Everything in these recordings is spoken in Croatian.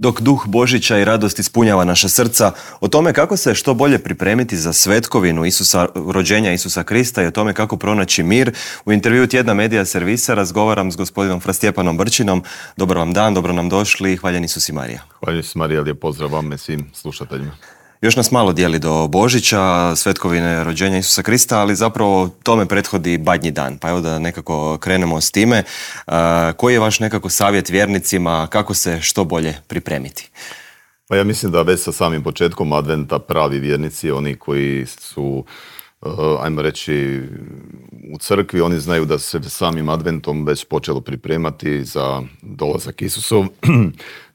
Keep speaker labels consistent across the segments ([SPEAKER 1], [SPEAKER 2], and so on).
[SPEAKER 1] Dok duh Božića i radost ispunjava naša srca, o tome kako se što bolje pripremiti za svetkovinu rođenja Isusa Krista i o tome kako pronaći mir, u intervjuu Tjedna Medija Servisa razgovaram s gospodinom Fra Stjepanom Brčinom. Dobar vam dan, dobro nam došli i hvaljen Isus i Marija.
[SPEAKER 2] Hvaljen Isus i Marija, lijep pozdrav vam i svim slušateljima.
[SPEAKER 1] Još nas malo dijeli do Božića, svetkovine rođenja Isusa Krista, ali zapravo tome prethodi Badnji dan. Pa evo da nekako krenemo s time. Koji je vaš nekako savjet vjernicima kako se što bolje pripremiti?
[SPEAKER 2] Pa ja mislim da već sa samim početkom adventa pravi vjernici, oni koji su, ajmo reći, u crkvi, oni znaju da se samim adventom već počelo pripremati za dolazak Isusov.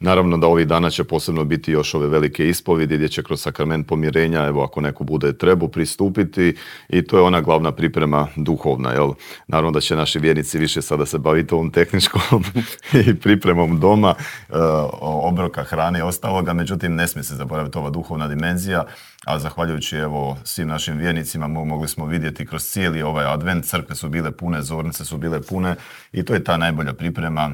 [SPEAKER 2] Naravno da ovih dana će posebno biti još ove velike ispovjedi gdje će kroz sakrament pomirenja, evo ako neko bude trebao pristupiti, i to je ona glavna priprema duhovna. Jel? Naravno da će naši vjernici više sada se baviti ovom tehničkom i pripremom doma, obroka, hrane i ostaloga, međutim ne smije se zaboraviti ova duhovna dimenzija, a zahvaljujući evo svim našim vjernicima mogli smo vidjeti kroz cijeli ovaj advent, crkve su bile pune, zornice su bile pune i to je ta najbolja priprema.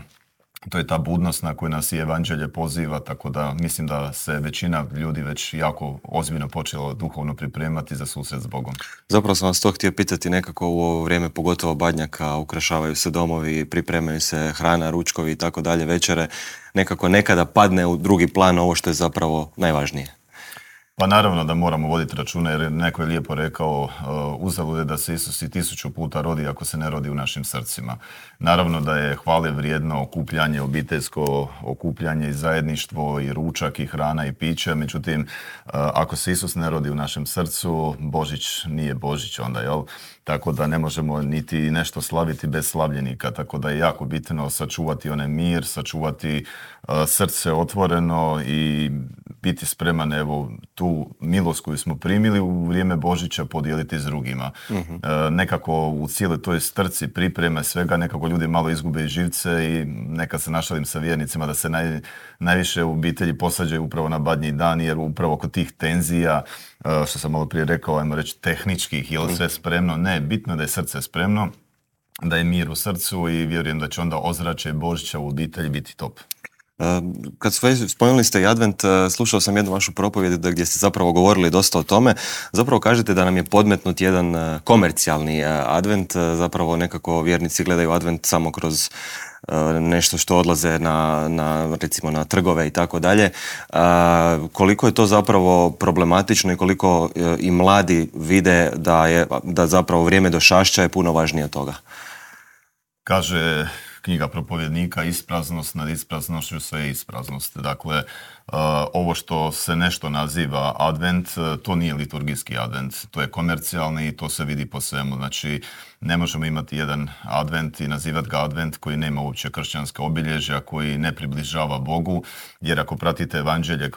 [SPEAKER 2] To je ta budnost na koju nas i evanđelje poziva, tako da mislim da se većina ljudi već jako ozbiljno počela duhovno pripremati za susret s Bogom.
[SPEAKER 1] Zapravo sam vas to htio pitati, nekako u ovo vrijeme, pogotovo Badnjaka, ukrašavaju se domovi, pripremaju se hrana, ručkovi i tako dalje, večere, nekako nekada padne u drugi plan ovo što je zapravo najvažnije.
[SPEAKER 2] Pa naravno da moramo voditi računa, jer neko je lijepo rekao, uzalud je da se Isus i 1000 puta rodi ako se ne rodi u našim srcima. Naravno da je hvale vrijedno okupljanje, obiteljsko okupljanje i zajedništvo i ručak i hrana i piće, međutim ako se Isus ne rodi u našem srcu, Božić nije Božić onda, jel? Tako da ne možemo niti nešto slaviti bez slavljenika, tako da je jako bitno sačuvati onaj mir, sačuvati srce otvoreno i biti spreman evo tu milost koju smo primili u vrijeme Božića podijeliti s drugima. Nekako u cijeloj toj strci pripreme svega nekako ljudi malo izgube živce i nekad se našalim sa vjernicima da se najviše u obitelji posađaju upravo na Badnji dan, jer upravo kod tih tenzija, što sam malo prije rekao, ajmo reći tehničkih, je li sve spremno? Ne, bitno je da je srce spremno, da je mir u srcu i vjerujem da će onda ozračje Božića u obitelji biti top.
[SPEAKER 1] Kad spomenuli ste i advent, slušao sam jednu vašu propovjed gdje ste zapravo govorili dosta o tome. Zapravo kažete da nam je podmetnut jedan komercijalni advent, zapravo nekako vjernici gledaju advent samo kroz nešto što odlaze recimo na trgove i tako dalje. Koliko je to zapravo problematično i koliko i mladi vide da zapravo vrijeme došašća je puno važnije od toga?
[SPEAKER 2] Kaže knjiga propovjednika, ispraznost nad ispraznošću sve je ispraznost. Dakle, ovo što se nešto naziva advent, to nije liturgijski advent, to je komercijalni i to se vidi po svemu. Znači, ne možemo imati jedan advent i nazivati ga advent koji nema uopće kršćanska obilježja, koji ne približava Bogu, jer ako pratite evanđelje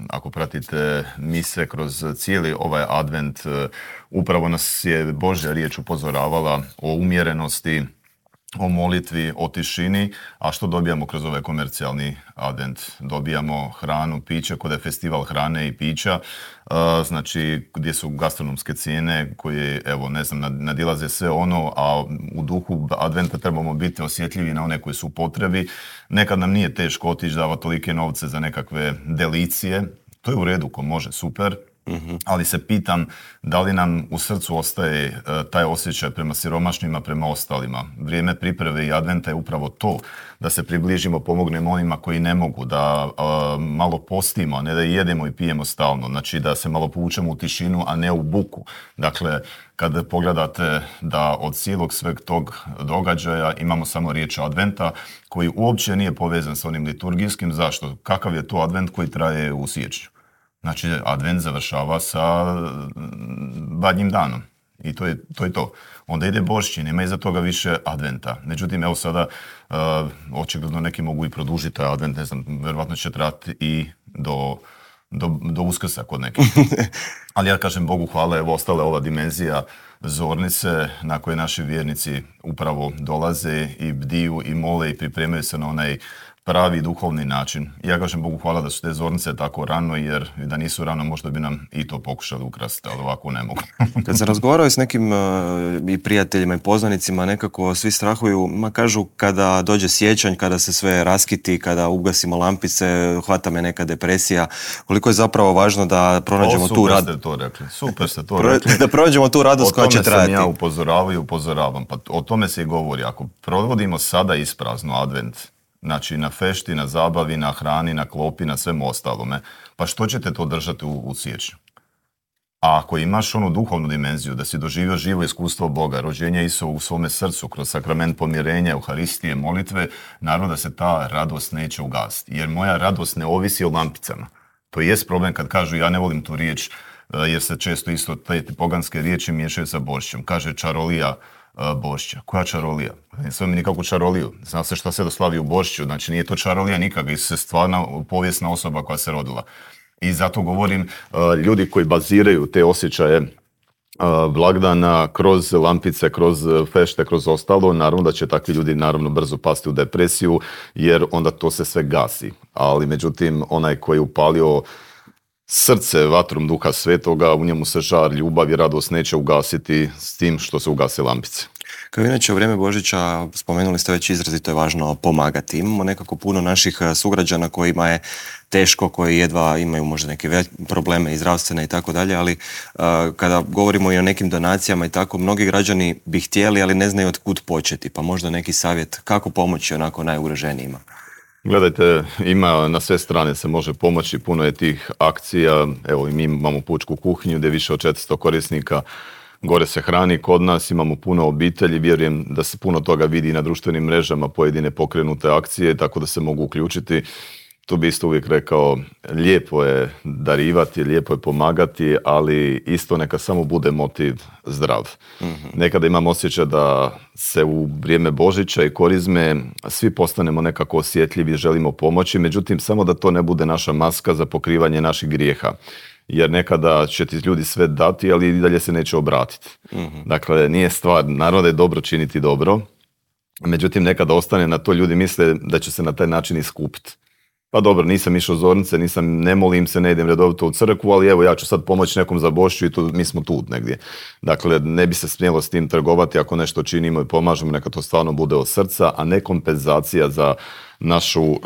[SPEAKER 2] ako pratite mise kroz cijeli ovaj advent, upravo nas je Božja riječ upozoravala o umjerenosti, o molitvi, o tišini, a što dobijamo kroz ovaj komercijalni advent? Dobijamo hranu, piće, kod je festival hrane i pića, znači gdje su gastronomske cijene koje, evo, ne znam, nadilaze sve ono, a u duhu adventa trebamo biti osjetljivi na one koji su u potrebi. Nekad nam nije teško otići davati tolike novce za nekakve delicije, to je u redu, ko može, super. Ali se pitam da li nam u srcu ostaje taj osjećaj prema siromašnima, prema ostalima. Vrijeme pripreme i adventa je upravo to, da se približimo, pomognemo onima koji ne mogu, da malo postimo, a ne da jedemo i pijemo stalno, znači da se malo povučemo u tišinu, a ne u buku. Dakle, kad pogledate da od cijelog sveg tog događaja imamo samo riječ adventa, koji uopće nije povezan s onim liturgijskim. Zašto? Kakav je to advent koji traje u siječnju? Znači, advent završava sa Badnjim danom i to je to. Onda ide Božić, nema iza toga više adventa. Međutim, evo sada, očigledno neki mogu i produžiti taj advent, ne znam, vjerovatno će trati i do Uskrsa kod nekih. Ali ja kažem Bogu hvala, evo ostala ova dimenzija zornice na koje naši vjernici upravo dolaze i bdiju i mole i pripremaju se na onaj pravi duhovni način. Ja kažem Bogu hvala da su te zornice tako rano, jer da nisu rano možda bi nam i to pokušali ukrasti, ali ovako ne mogu.
[SPEAKER 1] Kad sam razgovarao s nekim i prijateljima i poznanicima, nekako svi strahuju, kažu kada dođe siječanj, kada se sve raskiti, kada ugasimo lampice, hvata me neka depresija. Koliko je zapravo važno da pronađemo tu radost.
[SPEAKER 2] Super ste to rekli.
[SPEAKER 1] Da pronađemo tu radost koja će trajati.
[SPEAKER 2] O tome sam ja upozoravam. Pa o tome se i govori. Ako provodimo sada isprazno advent, znači na fešti, na zabavi, na hrani, na klopi, na svemu ostalome, pa što ćete to držati u siječnju? A ako imaš onu duhovnu dimenziju, da si doživio živo iskustvo Boga, rođenje Isusa u svome srcu, kroz sakrament pomirenja, Euharistije, molitve, naravno da se ta radost neće ugasiti. Jer moja radost ne ovisi o lampicama. To jest problem kad kažu ja ne volim tu riječ, jer se često isto te poganske riječi miješaju sa Božićem. Kaže čarolija Božića. Koja čarolija? Ne sve mi nikakvu čaroliju. Zna se šta se doslavi u Božiću, znači nije to čarolija nikakva, Isus je stvarna povijesna osoba koja se rodila. I zato govorim, ljudi koji baziraju te osjećaje blagdana kroz lampice, kroz fešte, kroz ostalo, naravno da će takvi ljudi naravno brzo pasti u depresiju, jer onda to se sve gasi. Ali međutim, onaj koji je upalio srce vatrom Duha Svetoga, u njemu se žar, ljubav i radost neće ugasiti s tim što se ugase lampice.
[SPEAKER 1] Kao inače u vrijeme Božića, spomenuli ste već izrazito je važno pomagati. Imamo nekako puno naših sugrađana kojima je teško, koji jedva imaju možda neke probleme i zdravstvene i tako dalje, ali kada govorimo i o nekim donacijama i tako, mnogi građani bi htjeli, ali ne znaju od kud početi, pa možda neki savjet kako pomoći onako najugroženijima.
[SPEAKER 2] Gledajte, ima na sve strane se može pomoći, puno je tih akcija, evo i mi imamo pučku kuhinju gdje više od 400 korisnika gore se hrani kod nas, imamo puno obitelji, vjerujem da se puno toga vidi na društvenim mrežama, pojedine pokrenute akcije, tako da se mogu uključiti. Tu bi isto uvijek rekao, lijepo je darivati, lijepo je pomagati, ali isto neka samo bude motiv zdrav. Mm-hmm. Nekada imam osjećaj da se u vrijeme Božića i Korizme svi postanemo nekako osjetljivi, želimo pomoći, međutim samo da to ne bude naša maska za pokrivanje naših grijeha. Jer nekada će ti ljudi sve dati, ali i dalje se neće obratiti. Mm-hmm. Dakle, nije stvar, naravno da je dobro činiti dobro, međutim nekada ostane na to, ljudi misle da će se na taj način iskupiti. Pa dobro, nisam išao zornice, ne molim se, ne idem redovito u crkvu, ali evo ja ću sad pomoći nekom za Božić i mi smo tu negdje. Dakle, ne bi se smjelo s tim trgovati, ako nešto činimo i pomažemo, neka to stvarno bude od srca, a ne kompenzacija za našu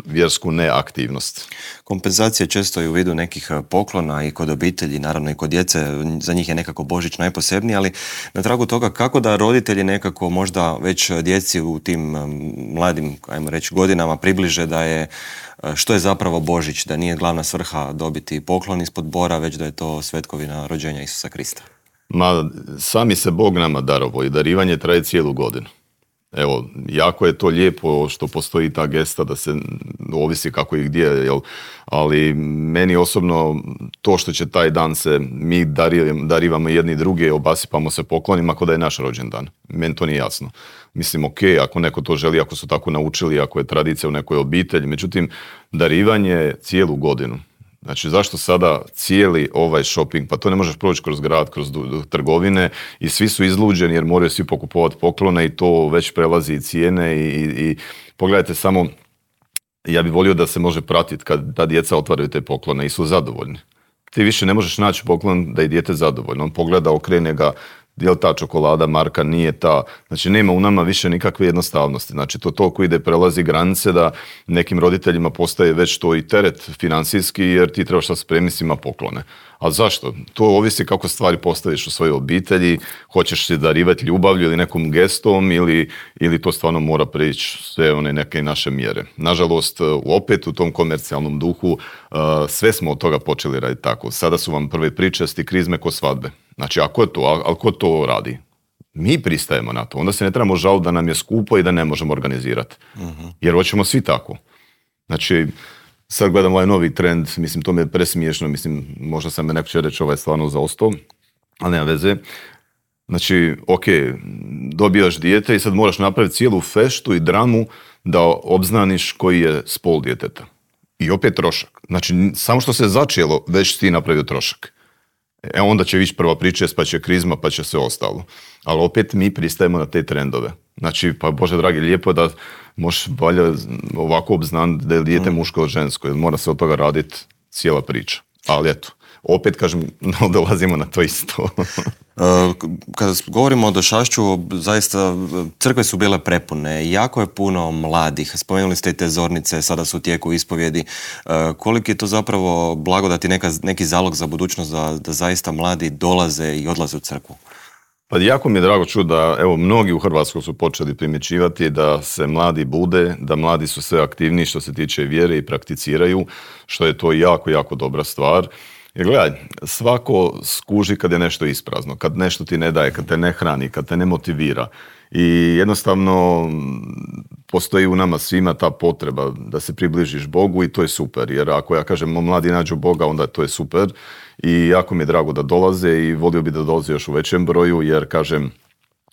[SPEAKER 2] vjersku neaktivnost.
[SPEAKER 1] Kompenzacija često i u vidu nekih poklona i kod obitelji, naravno i kod djece, za njih je nekako Božić najposebniji, ali na tragu toga kako da roditelji nekako možda već djeci u tim mladim, ajmo reći, godinama približe da je što je zapravo Božić, da nije glavna svrha dobiti poklon ispod bora, već da je to svetkovina rođenja Isusa Krista.
[SPEAKER 2] Sami se Bog nama darovao i darivanje traje cijelu godinu. Evo, jako je to lijepo što postoji ta gesta da se ovisi kako i gdje, jel? Ali meni osobno to što će taj dan se mi darivamo jedni druge, obasipamo se poklonima ako da je naš rođendan. Meni to nije jasno. Mislim, ok, ako neko to želi, ako su tako naučili, ako je tradicija u nekoj obitelji, međutim, darivanje cijelu godinu. Znači, zašto sada cijeli ovaj shopping, pa to ne možeš proći kroz grad, kroz trgovine i svi su izluđeni jer moraju svi pokupovati poklone i to već prelazi i cijene i pogledajte samo, ja bih volio da se može pratiti kad ta djeca otvaraju te poklone i su zadovoljni. Ti više ne možeš naći poklon da je dijete zadovoljno. On pogleda, okrene ga, je li ta čokolada marka, nije ta. Znači, nema u nama više nikakve jednostavnosti. Znači, to toliko ide, prelazi granice da nekim roditeljima postaje već to i teret financijski, jer ti trebaš sad spremiti svima poklone. A zašto? To ovisi kako stvari postaviš u svojoj obitelji, hoćeš se darivati ljubavlju ili nekom gestom ili to stvarno mora prići sve one neke naše mjere. Nažalost, opet u tom komercijalnom duhu sve smo od toga počeli raditi tako. Sada su vam prve pričesti, krizme ko svadbe. Znači, ako je to, ali ko to radi? Mi pristajemo na to. Onda se ne trebamo žaliti da nam je skupo i da ne možemo organizirati. Uh-huh. Jer hoćemo svi tako. Znači, sad gledam ovaj novi trend, mislim, to mi je presmiješno, mislim, možda sam me neko će reći ovaj stvarno zaostao, ali nema veze. Znači, ok, dobijaš dijete i sad moraš napraviti cijelu feštu i dramu da obznaniš koji je spol djeteta. I opet trošak. Znači, samo što se začelo, već ti napravio trošak. Onda će vići prva pričest, pa će krizma, pa će sve ostalo. Ali opet mi pristajemo na te trendove. Znači, pa Bože dragi, lijepo je možeš valja ovako obznati da je dijete muško ili žensko, jer mora se od toga raditi cijela priča. Ali eto, opet kažem, dolazimo na to isto.
[SPEAKER 1] Kada govorimo o došašću, zaista crkve su bile prepune, jako je puno mladih, spomenuli ste i te zornice, sada su u tijeku ispovjedi. Koliki je to zapravo blagodat i neki zalog za budućnost da zaista mladi dolaze i odlaze u crkvu?
[SPEAKER 2] Pa jako mi je drago čuti da, evo, mnogi u Hrvatskoj su počeli primjećivati da se mladi bude, da mladi su sve aktivniji što se tiče vjere i prakticiraju, što je to jako, jako dobra stvar. Jer gledaj, svako skuži kad je nešto isprazno, kad nešto ti ne daje, kad te ne hrani, kad te ne motivira. I jednostavno postoji u nama svima ta potreba da se približiš Bogu i to je super. Jer ako ja kažem mladi nađu Boga, onda to je super. I jako mi je drago da dolaze i volio bi da dolaze još u većem broju, jer kažem,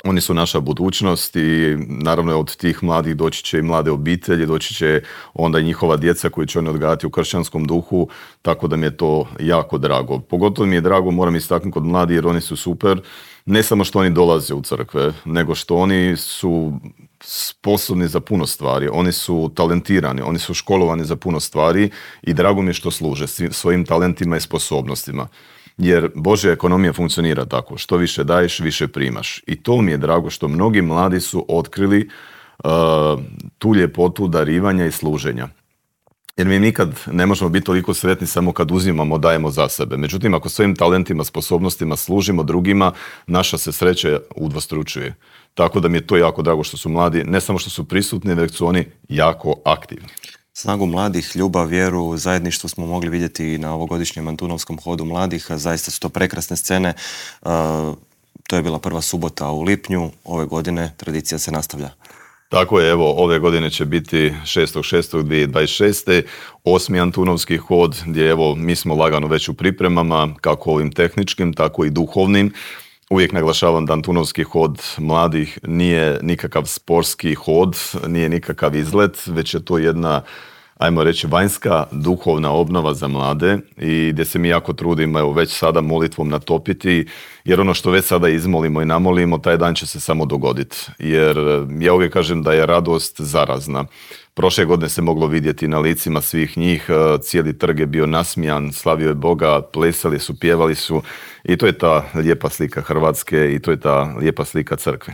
[SPEAKER 2] oni su naša budućnost i naravno od tih mladih doći će i mlade obitelji, doći će onda i njihova djeca koji će oni odgajati u kršćanskom duhu, tako da mi je to jako drago. Pogotovo mi je drago, moram istaknuti kod mladih jer oni su super, ne samo što oni dolaze u crkve, nego što oni su sposobni za puno stvari, oni su talentirani, oni su školovani za puno stvari i drago mi je što služe svojim talentima i sposobnostima. Jer Božja ekonomija funkcionira tako, što više daješ, više primaš. I to mi je drago što mnogi mladi su otkrili tu ljepotu darivanja i služenja. Jer mi nikad ne možemo biti toliko sretni samo kad uzimamo, dajemo za sebe. Međutim, ako svojim talentima, sposobnostima služimo drugima, naša se sreća udvostručuje. Tako da mi je to jako drago što su mladi, ne samo što su prisutni, već su oni jako aktivni.
[SPEAKER 1] Snagu mladih, ljubav, vjeru, zajedništvo smo mogli vidjeti na ovogodišnjem Antunovskom hodu mladih. Zaista su to prekrasne scene. To je bila prva subota u lipnju. Ove godine tradicija se nastavlja.
[SPEAKER 2] Tako je, evo, ove godine će biti 6.6.2026. 8. Antunovski hod, gdje evo, mi smo lagano već u pripremama, kako ovim tehničkim, tako i duhovnim. Uvijek naglašavam da Antunovski hod mladih nije nikakav sportski hod, nije nikakav izlet, već je to jedna, ajmo reći, vanjska duhovna obnova za mlade i gdje se mi jako trudimo, evo, već sada molitvom natopiti, jer ono što već sada izmolimo i namolimo, taj dan će se samo dogoditi. Jer ja uvijek kažem da je radost zarazna. Prošle godine se moglo vidjeti na licima svih njih, cijeli trg je bio nasmijan, slavio je Boga, plesali su, pjevali su i to je ta lijepa slika Hrvatske i to je ta lijepa slika crkve.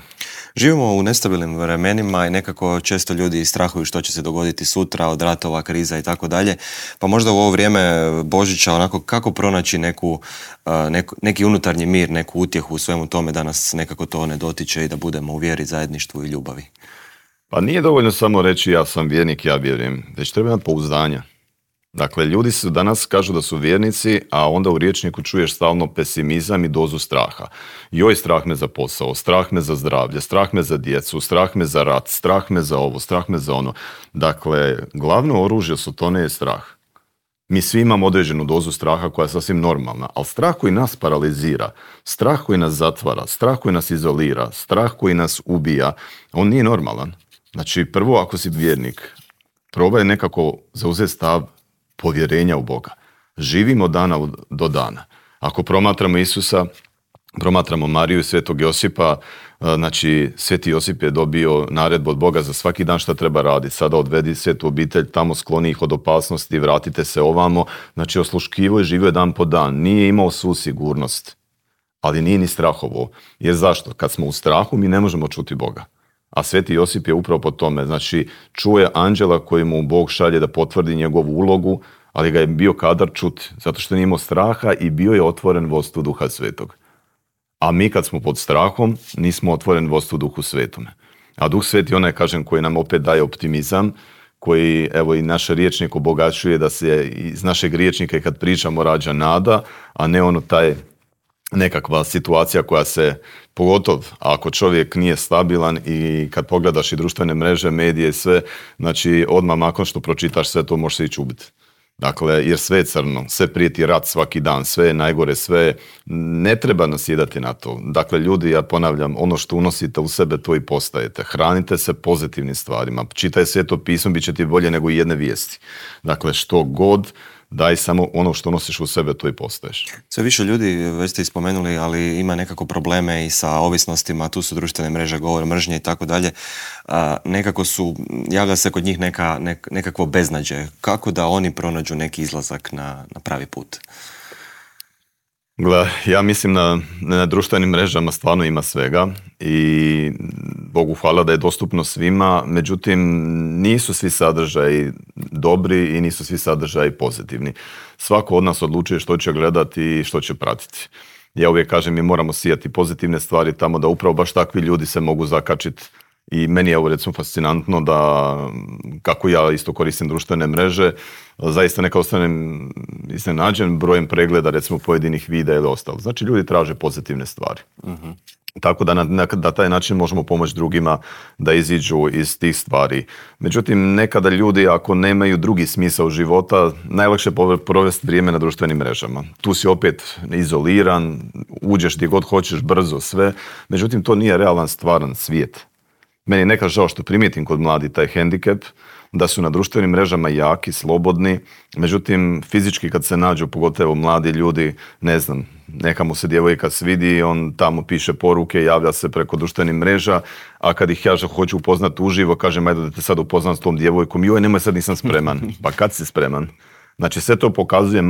[SPEAKER 1] Živimo u nestabilnim vremenima i nekako često ljudi strahuju što će se dogoditi sutra od ratova, kriza i tako dalje. Pa možda u ovo vrijeme Božića onako kako pronaći neki unutarnji mir, neku utjehu u svemu tome da nas nekako to ne dotiče i da budemo u vjeri, zajedništvu i ljubavi.
[SPEAKER 2] Pa nije dovoljno samo reći ja sam vjernik, ja vjerujem, već treba imati pouzdanja. Dakle, ljudi su danas kažu da su vjernici, a onda u rječniku čuješ stalno pesimizam i dozu straha. Joj, strah me za posao, strah me za zdravlje, strah me za djecu, strah me za rat, strah me za ovo, strah me za ono. Dakle, glavno oružje Sotone je strah. Mi svi imamo određenu dozu straha koja je sasvim normalna, ali strah koji nas paralizira, strah koji nas zatvara, strah koji nas izolira, strah koji nas ubija, on nije normalan. Znači, prvo, ako si vjernik, probaj nekako zauzeti stav povjerenja u Boga. Živimo dana do dana. Ako promatramo Isusa, promatramo Mariju i Svetog Josipa, znači Sveti Josip je dobio naredbu od Boga za svaki dan šta treba raditi. Sada odvedi svetu obitelj, tamo skloni ih od opasnosti, vratite se ovamo. Znači osluškivo je živio dan po dan. Nije imao svu sigurnost, ali nije ni strahovo. Jer zašto? Kad smo u strahu mi ne možemo čuti Boga. A Sveti Josip je upravo po tome. Znači čuje anđela koji mu Bog šalje da potvrdi njegovu ulogu, ali ga je bio kadar čuti, zato što nije imao straha i bio je otvoren vodstvu Duha Svetog. A mi kad smo pod strahom, nismo otvoren vodstvu Duhu Svetome. A Duh Sveti onaj, kažem, koji nam opet daje optimizam, koji, evo, i naš rječnik obogaćuje da se iz našeg rječnika i kad pričamo rađa nada, a ne ono taj nekakva situacija koja se, pogotovo ako čovjek nije stabilan i kad pogledaš i društvene mreže, medije i sve, znači odmah nakon što pročitaš sve to možeš se ići ubiti. Dakle, jer sve je crno, sve prijeti rat svaki dan, sve je najgore, sve ne treba nasjedati na to. Dakle, ljudi, ja ponavljam, ono što unosite u sebe, to i postajete. Hranite se pozitivnim stvarima. Čitaj Sveto pismo, bit će ti bolje nego i jedne vijesti. Dakle, što god daj samo ono što nosiš u sebe, to i postaješ.
[SPEAKER 1] Sve više ljudi, već ste ispomenuli, ali ima nekako probleme i sa ovisnostima, tu su društvene mreže, govor mržnje i tako dalje. Nekako javlja se kod njih nekakvo beznađe. Kako da oni pronađu neki izlazak na pravi put?
[SPEAKER 2] Gle, ja mislim na društvenim mrežama stvarno ima svega i Bogu hvala da je dostupno svima, međutim nisu svi sadržaji dobri i nisu svi sadržaji pozitivni. Svako od nas odlučuje što će gledati i što će pratiti. Ja uvijek kažem, mi moramo sijati pozitivne stvari tamo da upravo baš takvi ljudi se mogu zakačiti. I meni je ovo recimo fascinantno da kako ja isto koristim društvene mreže, zaista neka ostanem iznenađen brojem pregleda recimo pojedinih videa ili ostalo. Znači ljudi traže pozitivne stvari. Uh-huh. Tako da na taj način možemo pomoći drugima da iziđu iz tih stvari. Međutim, nekada ljudi ako nemaju drugi smisao života, najlakše je provesti vrijeme na društvenim mrežama. Tu si opet izoliran, uđeš gdje god hoćeš, brzo sve. Međutim, to nije realan, stvaran svijet. Meni je nekad žao što primijetim kod mladi taj hendikep, da su na društvenim mrežama jaki, slobodni, međutim fizički kad se nađu, pogotovo mladi ljudi, ne znam, neka mu se djevojka svidi, on tamo piše poruke, javlja se preko društvenih mreža, a kad ih ja hoću upoznati uživo, kažem ajde da te sad upoznam s tom djevojkom, joj nemoj sad nisam spreman. Pa kad si spreman? Znači sve to pokazuje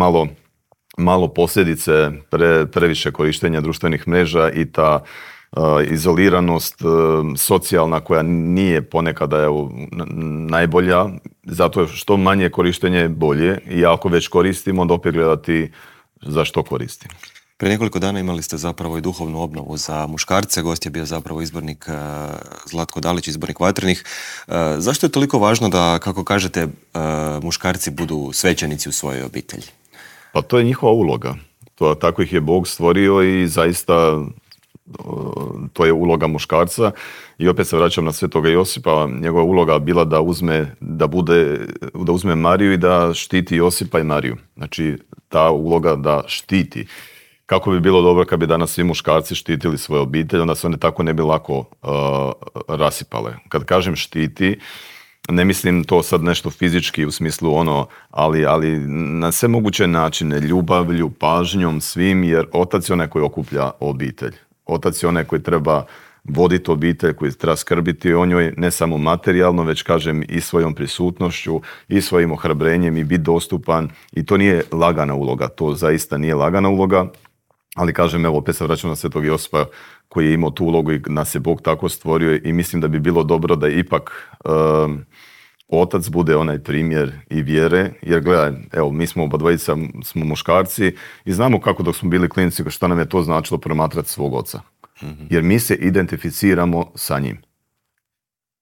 [SPEAKER 2] malo posljedice previše korištenja društvenih mreža i ta izoliranost socijalna koja nije ponekada najbolja, zato što manje korištenje je bolje i ako već koristimo, onda opet gledati za što koristim.
[SPEAKER 1] Prije nekoliko dana imali ste zapravo i duhovnu obnovu za muškarce, gost je bio zapravo izbornik Zlatko Dalić, izbornik Vatrenih. Zašto je toliko važno da, kako kažete, muškarci budu svećenici u svojoj obitelji?
[SPEAKER 2] Pa to je njihova uloga. Tako ih je Bog stvorio i zaista to je uloga muškarca i opet se vraćam na Svetoga Josipa, njegova uloga bila da uzme Mariju i da štiti Josipa i Mariju. Znači ta uloga da štiti. Kako bi bilo dobro kad bi danas svi muškarci štitili svoje obitelji, onda se one tako ne bi lako rasipale. Kad kažem štiti, ne mislim to sad nešto fizički u smislu ali na sve moguće načine, ljubavlju, pažnjom, svim, jer otac je onaj koji okuplja obitelj. Otac je onaj koji treba voditi obitelj, koji treba skrbiti o njoj, ne samo materijalno, već kažem i svojom prisutnošću, i svojim ohrabrenjem i biti dostupan. I to nije lagana uloga, to zaista nije lagana uloga, ali kažem, evo, opet se vraćam na Svetog Josipa koji je imao tu ulogu i nas je Bog tako stvorio i mislim da bi bilo dobro da ipak otac bude onaj primjer i vjere, jer gledaj, evo, mi smo obadvojica smo muškarci i znamo kako dok smo bili klinici, što nam je to značilo promatrati svog oca. Jer mi se identificiramo sa njim.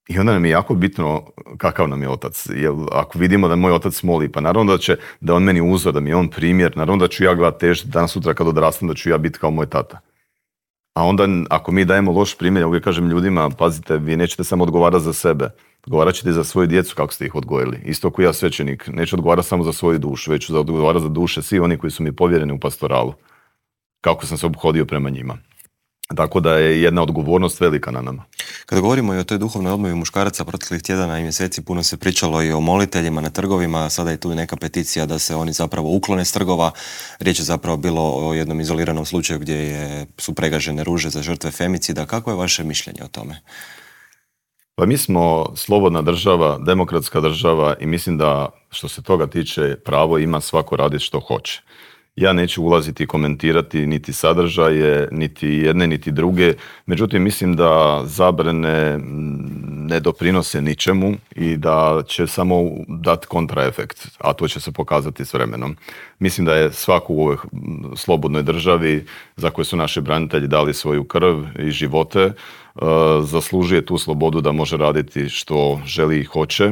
[SPEAKER 2] I onda nam je jako bitno kakav nam je otac. Jer ako vidimo da moj otac moli, pa naravno da on meni uzor, da mi je on primjer, naravno da ću ja gledati težiti danas sutra kad odrastam, da ću ja biti kao moj tata. A onda ako mi dajemo loš primjer, ja uvijek kažem ljudima, pazite, vi nećete samo odgovarati za sebe, odgovarat ćete za svoju djecu kako ste ih odgojili. Isto kao ja svećenik, neću odgovarati samo za svoju dušu, već ću odgovarati za duše svi oni koji su mi povjereni u pastoralu. Kako sam se ophodio prema njima. Tako da je jedna odgovornost velika na nama.
[SPEAKER 1] Kada govorimo i o toj duhovnoj obnovi muškaraca proteklih tjedana i mjeseci, puno se pričalo i o moliteljima na trgovima, sada je tu i neka peticija da se oni zapravo uklone s trgova. Riječ je zapravo bilo o jednom izoliranom slučaju gdje su pregažene ruže za žrtve femicida. Kako je vaše mišljenje o tome?
[SPEAKER 2] Pa mi smo slobodna država, demokratska država i mislim da što se toga tiče pravo ima svako raditi što hoće. Ja neću ulaziti i komentirati niti sadržaje, niti jedne, niti druge. Međutim, mislim da zabrane ne doprinose ničemu i da će samo dati kontraefekt, a to će se pokazati s vremenom. Mislim da je svako u ovoj slobodnoj državi za koju su naši branitelji dali svoju krv i živote, zaslužuje tu slobodu da može raditi što želi i hoće.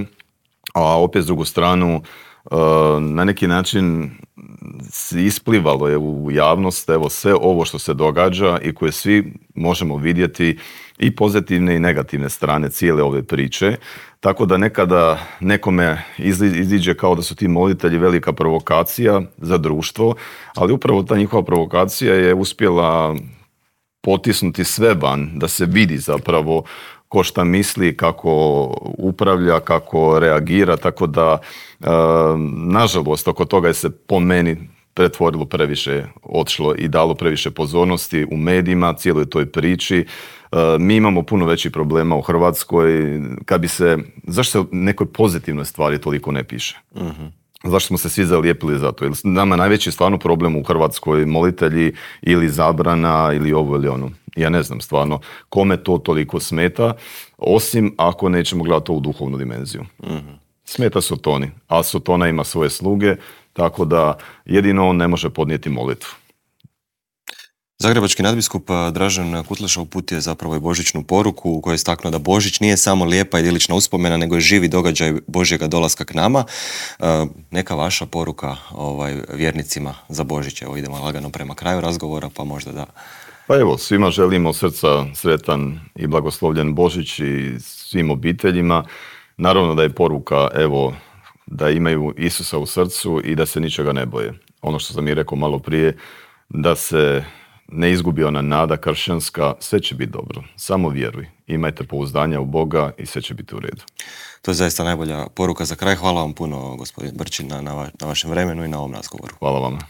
[SPEAKER 2] A opet s drugu stranu, na neki način isplivalo je u javnost evo sve ovo što se događa i koje svi možemo vidjeti i pozitivne i negativne strane cijele ove priče. Tako da nekada nekome iziđe kao da su ti molitelji velika provokacija za društvo, ali upravo ta njihova provokacija je uspjela potisnuti sve van, da se vidi zapravo ko šta misli, kako upravlja, kako reagira, tako da nažalost oko toga je se po meni pretvorilo previše, otišlo i dalo previše pozornosti u medijima, cijeloj toj priči. Mi imamo puno većih problema u Hrvatskoj. Zašto se nekoj pozitivnoj stvari toliko ne piše? Zašto smo se svi zalijepili za to? Jer nama najveći stvarno problem u Hrvatskoj molitelji ili zabrana ili ovo ili ono. Ja ne znam stvarno kome to toliko smeta, osim ako nećemo gledati to u duhovnu dimenziju. Smeta Sotoni, a Sotona ima svoje sluge, tako da jedino on ne može podnijeti molitvu.
[SPEAKER 1] Zagrebački nadbiskup Dražen Kutleša uputio je zapravo i božićnu poruku u kojoj je istaknuo da Božić nije samo lijepa idilična uspomena, nego je živi događaj Božjega dolaska k nama. Neka vaša poruka vjernicima za Božić? Evo, idemo lagano prema kraju razgovora, pa možda da...
[SPEAKER 2] Pa evo, svima želimo od srca sretan i blagoslovljen Božić i svim obiteljima. Naravno da je poruka, evo, da imaju Isusa u srcu i da se ničega ne boje. Ono što sam i rekao malo prije, da se ne izgubi ona nada kršćanska, sve će biti dobro. Samo vjeruj. Imajte pouzdanja u Boga i sve će biti u redu.
[SPEAKER 1] To je zaista najbolja poruka za kraj. Hvala vam puno, gospodin Brčin, na vašem vremenu i na ovom razgovoru.
[SPEAKER 2] Hvala vam.